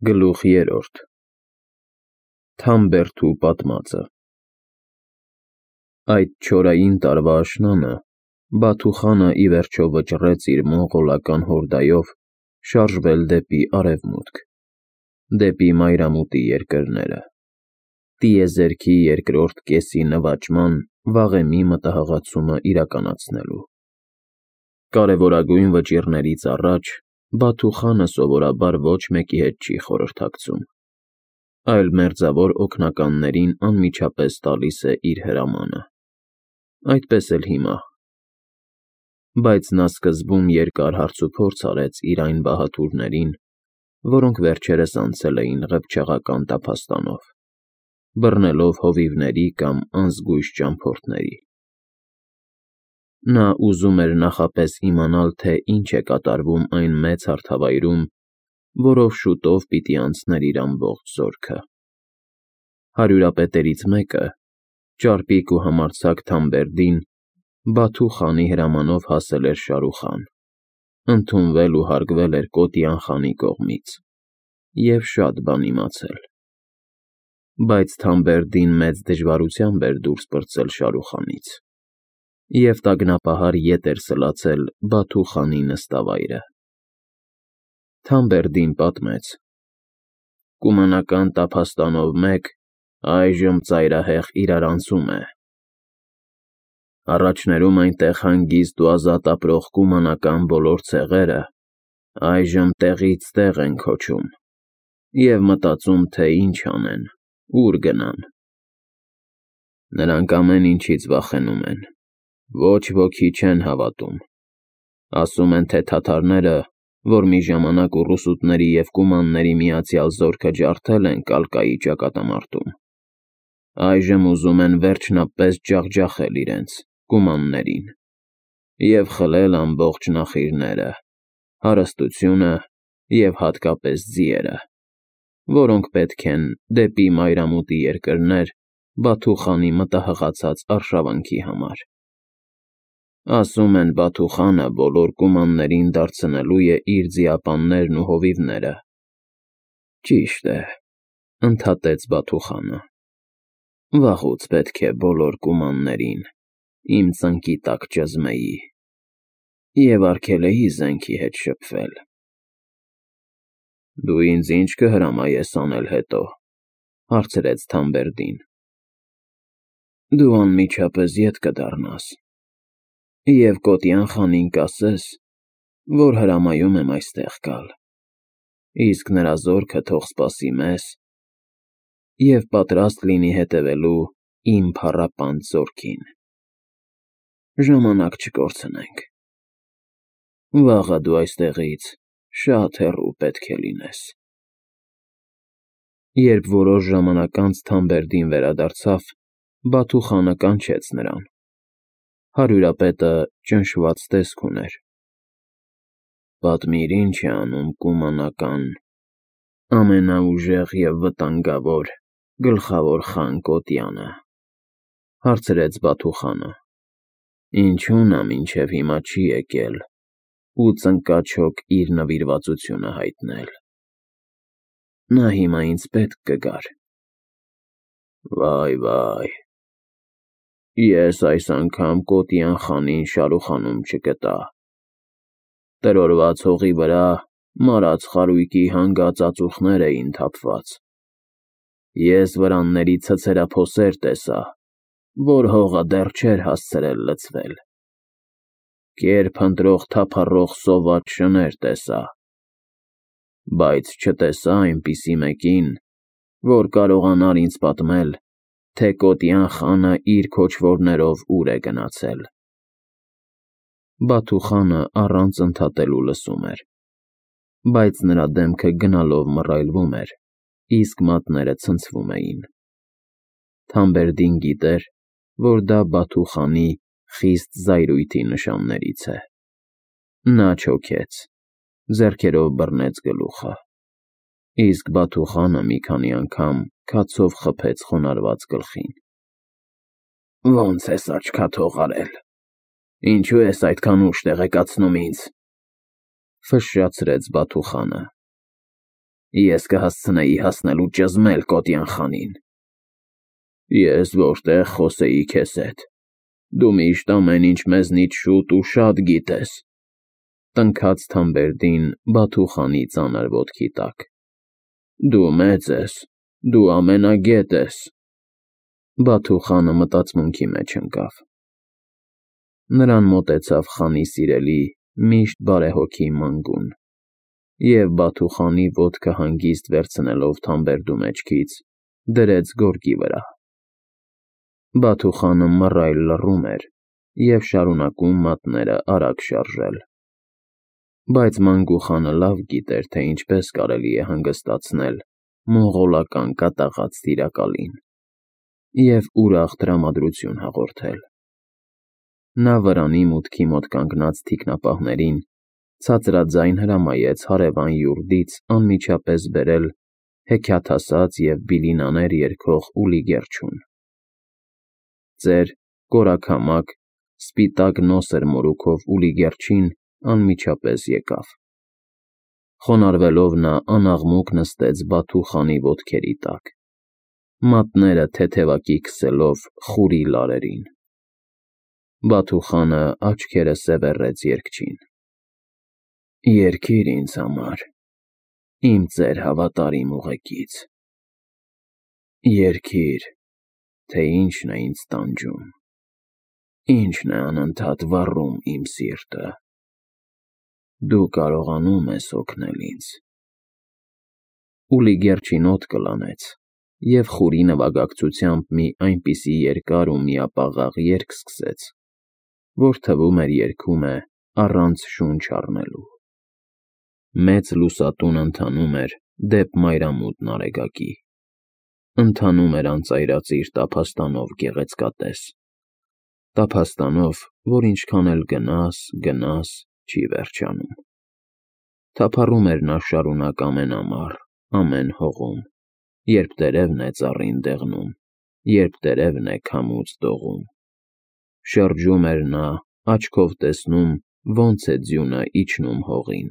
Գլուխ 3 Թամբերդու պատմածը Այդ չորային տարվա աշնանը Բաթուխանը ի վերջո վճռեց իր մոնղոլական հորդայով շարժվել դեպի արևմուտք, դեպի մայրամուտի երկրները, տիեզերքի երկրորդ կեսի նվաճման վաղեմի մտահղացումը իրականացնելու։ Կարևորագույն վճիռներից առաջ Բաթուխանը սովորաբար ոչ մեկի հետ չի խորհրդակցում, այլ մերձավոր օգնականներին անմիջապես տալիս է իր հրամանը, այդպես էլ հիմա։ Բայց նա սկզբում երկար հարցուփորձ արեց իր այն բահաթուրներին, որոնք վերջերս անցել էին ղփչաղական տափաստանով, բռնելով հովիվների կամ անզգույշ ճամփորդների։ Նա ուզում էր նախապես իմանալ, թե ինչ է կատարվում այն մեծ հարթավայրում, որով շուտով պիտի անցներ իր ամբողջ զորքը։ Հարյուրապետերից մեկը, ճարպիկ ու համարձակ Թամբերդին, Բաթու խանի հրամանով հասել էր Շարուխան, ընդունվել ու հարգվել էր Կոտյան խանի կողմից և շատ բան իմացել։ Բայց Թամբերդին մեծ դժվարությամբ էր դուրս պրծել Շարուխանից և տագնապահար ետ էր սլացել Բաթու խանի նստավայրը։ Թամբերդին պատմեց. Կումանական տափաստանով մեկ այժմ ծայրահեղ իրարանցում է։ Առաջներում այնտեղ հանգիստ ու ազատ ապրող կումանական բոլոր ցեղերը այժմ տեղից տեղ են քոչում և մտածում, թե ինչ անեն, ուր գնան։ Նրանք ամեն ինչից վախենում են, ոչ ոքի չեն հավատում, ասում են, թե թաթարները, որ մի ժամանակ ուռուսուտների և կումանների միացյալ զորքը ջարդել են Կալկայի ճակատամարտում, այժմ ուզում են վերջնապես ջախջախել իրենց, կումաններին, և խլել ամբողջ նախիրները, հարստությունը և հատկապես ձիերը, որոնք պետք են դեպի մայրամուտի երկրներ Բաթու խանի մտահղացած արշավանքի համար։ Ասում են, Բաթու խանը բոլոր կումաններին դարձնելու է իր ձիապաններն ու հովիվները։ Ճիշտ է, ընդհատեց Բաթու խանը։ Վաղուց պետք է բոլոր կումաններին իմ ծնկի տակ ճզմեի և արգելեի զենքի հետ շփվել։ Դու ինձ ինչ կհրամայես անել հետո, հարցրեց Թամբերդին։ Դու անմիջապես ետ կդառնաս և Կոտյան խանին կասես, որ հրամայում եմ այստեղ գալ, իսկ նրա զորքը թող սպասի մեզ և պատրաստ լինի հետևելու իմ փառապանծ զորքին։ Ժամանակ չկորցնենք։ Վաղը դու այստեղից շատ հեռու պետք է լինես։ Երբ որոշ ժամանակ անց Թամբերդին վերադարձավ, Բաթու խանը կանչեց նրան։ Հարյուրապետը ճնշված տեսք ուներ։ Պատմիր, ինչ է անում կումանական ամենաուժեղ և վտանգավոր գլխավոր խան Կոտյանը, հարցրեց Բաթու խանը։ Ինչու նա մինչև հիմա չի եկել ու ծնկաչոք իր նվիրվածությունը հայտնել։ Նա հիմա ինձ պետք կգար։ Վայ, ես այս անգամ Կոտյան խանին Շարուխանում չգտա։ Տրորված հողի վրա մարած խարույկի հանգած ածուխներ էին թափված։ Ես վրանների ցցերափոսեր տեսա, որ հողը դեռ չէր հասցրել լցվել։ Կեր փնտրող թափառող սոված շներ տեսա, բայց չտեսա այնպիսի մեկին, որ կարողանար ինձ պատմել, թե Կոտյան խանը իր քոչվորներով ուր է գնացել։ Բաթու խանը առանց ընդհատելու լսում էր, բայց նրա դեմքը գնալով մռայլվում էր, իսկ մատները ցնցվում էին։ Թամբերդին գիտեր, որ դա Բաթու խանի խիստ զայրույթի նշաններից է։ Նա չոքեց, ձեռքերով բռնեց գլուխը, իսկ Բաթու խանը մի քանի անգամ քացով խփեց խոնարհված գլխին։ Ո՞նց ես աչքաթող արել։ Ինչու ես այդքան ուշ տեղեկացնում ինձ, ֆշշացրեց Բաթու խանը։ Ես կհասցնեի հասնել ու ճզմել Կոտյան խանին։ Ես որտեղ խոսեի քեզ հետ։ Դու միշտ ամեն ինչ մեզնից շուտ ու շատ գիտես, տնքաց Թամբերդին Բաթուխանի ծանր ոտքի տակ։ Դու մեծ ես, դու ամենագետ ես։ Բաթուխանը մտածմունքի մեջ ընկավ։ Նրան մոտեցավ խանի սիրելի, միշտ բարեհոգի Մանգուն, և Բաթուխանի ոտքը հանգիստ վերցնելով Թամբերդու մեջքից, դրեց գորգի վրա։ Բաթուխանը մռայլ լռում էր և շարունակում մատները արագ շարժել։ Բայց Մանգու խանը լավ գիտեր, թե ինչպես կարելի է հանգստացնել մոնղոլական կատաղած տիրակալին և ուրախ տրամադրություն հաղորդել։ Նա վրանի մուտքի մոտ կանգնած թիկնապահներին ցածրաձայն հրամայեց հարևան յուրդից անմիջապես բերել հեքիաթասաց և բիլինաներ երգող Ուլի Գերջուն։ Ծեր, կորաքամակ, սպիտակ նոսր մորուքով Ուլի Գերջին անմիջապես եկավ։ Խոնարհվելով նա անաղմուկ նստեց Բաթու խանի ոտքերի տակ, մատները թեթևակի քսելով խուրի լարերին։ Բաթու խանը աչքերը սևեռեց երգչին։ Երգիր ինձ համար, իմ ծեր հավատարիմ ուղեկից։ Երգիր, թե ինչն է ինձ տանջում, ինչն է անընդհատ վառում իմ սիրտը։ Դու կարողանում ես օգնել ինձ։ Ուլի Գերջին օդ կլանեց և խուրի նվագակցությամբ մի այնպիսի երկար ու միապաղաղ երգ սկսեց, որ թվում էր երգում է առանց շունչ առնելու։ Մեծ լուսատուն ընթանում էր դեպ մայրամուտ Նարեգակի։ Ընթանում էր անծայրածիր տափաստանով գեղեցկատես, տափաստանով, որ ինչքան էլ գնաս, չի վերջանում։ Թափառում էր նա շարունակ ամեն ամառ, ամեն հողում, երբ տերևն է ծառին դեղնում, երբ տերևն է քամուց դողում։ Շրջում էր նա, աչքով տեսնում, ոնց է ձյունը իջնում հողին,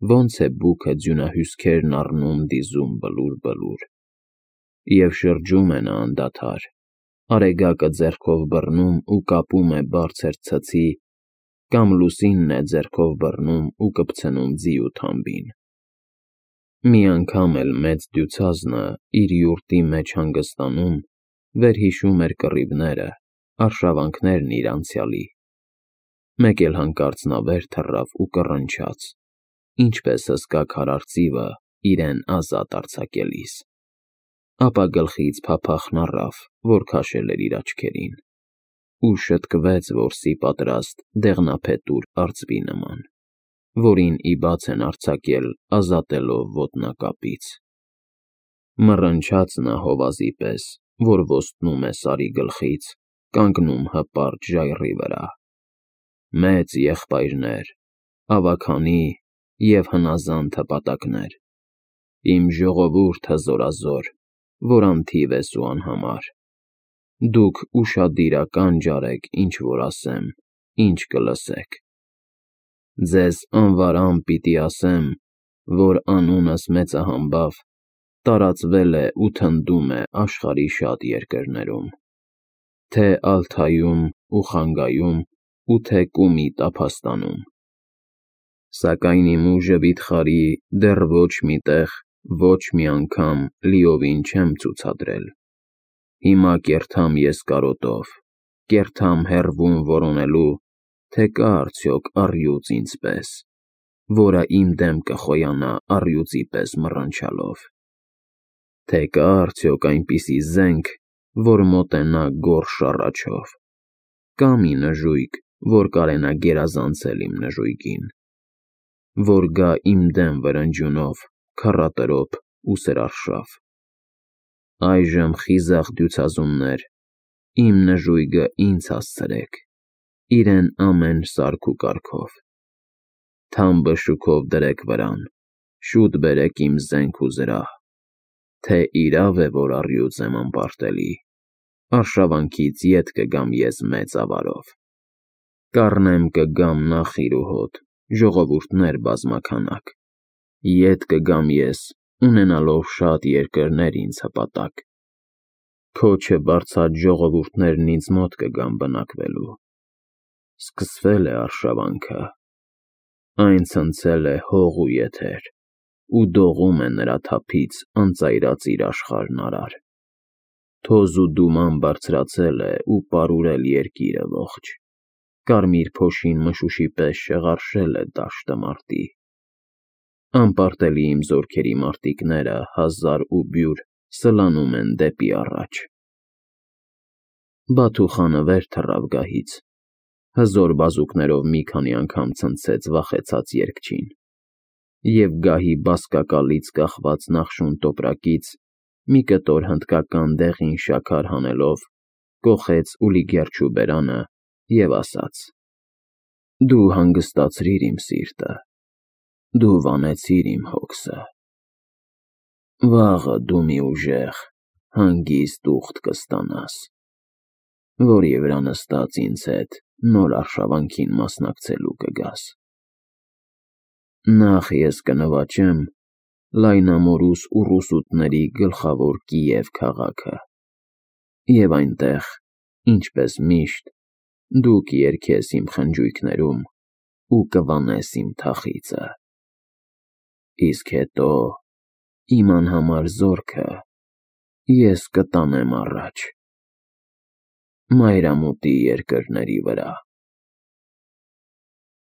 ոնց է բուքը ձյունահյուսքերն առնում դիզում բլուր, և շրջում է նա անդադար, արեգակը ձեռքով բռնում ու կապում է բարձր ցցի, կամ լուսինն է ձեռքով բռնում ու կպցնում ձի ու թամբին։ Մի անգամ էլ մեծ դյուցազնը իր յուրտի մեջ հանգստանում, վերհիշում էր կռիվները, արշավանքներն իր անցյալի։ Մեկ էլ հանկարծ նա վեր թռավ ու կռնչաց, ինչպես հսկա քարարծիվը իրեն ազատ արձակելիս։ Ապա գլխից փափախն առավ, որ քաշել էր իր աչքերին, ու շտկվեց որսի պատրաստ դեղնափետուր արծվի նման, որին ի բաց են արձակել ազատելով ոտնակապից։ Մռնչաց նա հովազի պես, որ ոստնում է Սարի գլխից, կանգնում հպարտ ժայռի վրա։ Մեծ եղբայրներ, ավագանի և հնազանդ հպատակներ, իմ ժողովուրդ հզորազոր, որ անթիվ ես ու անհամար, դուք ուշադիրական ջարեք, ինչ որ ասեմ, ինչ կլսեք։ Ձեզ անվարամ պիտի ասեմ, որ անունս մեծահամբավ տարածվել է ու թնդում է աշխարհի շատ երկրներում, թե Ալթայում ու Խանգայում ու թե Կումի տափաստանում։ Սակայն իմ ուժը վիթխարի դեռ ոչ մի տեղ, ոչ մի անգամ լիովին չեմ ցուցադրել։ Հիմա կերթամ ես կարոտով, կերթամ հեռվում որոնելու, թե կա արդյոք առյուծ ինձպես, որը իմ դեմ կխոյանա առյուծի պես մռնչալով, թե կա արդյոք այնպիսի զենք, որ մոտենա գորշ առաջով, կամ մի նժույգ, որ կարենա գերազանցել իմ նժույգին, որ գա իմ դեմ վրնջյունով, քառատրոփ ու սրարշավ։ Այժմ խիզախ դյուցազուններ, իմ նժույգը ինձ հասցրեք, իրեն ամեն սարք ու կարգով։ Թամբը շուքով դրեք վրան, շուտ բերեք իմ զենք ու զրահ, թե իրավ է, որ առյուծ եմ անպարտելի, արշավանքից ետ կգամ ես մեծ ավարով։ Կառնեմ կգամ նախիր ու հոտ, ժողովուրդներ բազմաքանակ, Ետ կգամ ես, ունենալով շատ երկրներ ինձ հպատակ, քոչը բարձած ժողովուրդներն ինձ մոտ կգան բնակվելու, սկսվել է արշավանքը, այն ցնցել է հող ու եթեր, ու դողում է նրա թափից անծայրած իր աշխարհն արար, թոզ ու դուման բարձրացել է ու պարուրել երկիրը ողջ, կարմիր փոշին մշուշի պես շեղարշել է դաշտը մարտի, անպարտելի իմ զորքերի մարտիկները հազար ու բյուր սլանում են դեպի առաջ։ Բաթուխանը վեր թռավ գահից, հզոր բազուկներով մի քանի անգամ ցնցեց վախեցած երգչին, և գահի բազկակալից կախված նախշուն տոպրակից մի կտոր հնդկական դեղին շաքար հանելով կոխեց Ուլիգերջու բերանը և ասաց. «Դու հանգստացրիր իմ սիրտը, դու վանեցիր իմ հոգսը, վաղը դու մի ուժեղ, հանգիստ ուխտ կստանաս, որի վրա նստած ինձ հետ նոր արշավանքին մասնակցելու կգաս։ Նախ ես կնվաճեմ լայնամորուս ուռուսուտների գլխավոր Կիև քաղաքը, և այնտեղ, ինչպես միշտ, դու կերգես իմ խնջույքներում ու կվանես իմ թախիծը, իսկ հետո իմ անհամար զորքը ես կտանեմ առաջ, մայրամուտի երկրների վրա»։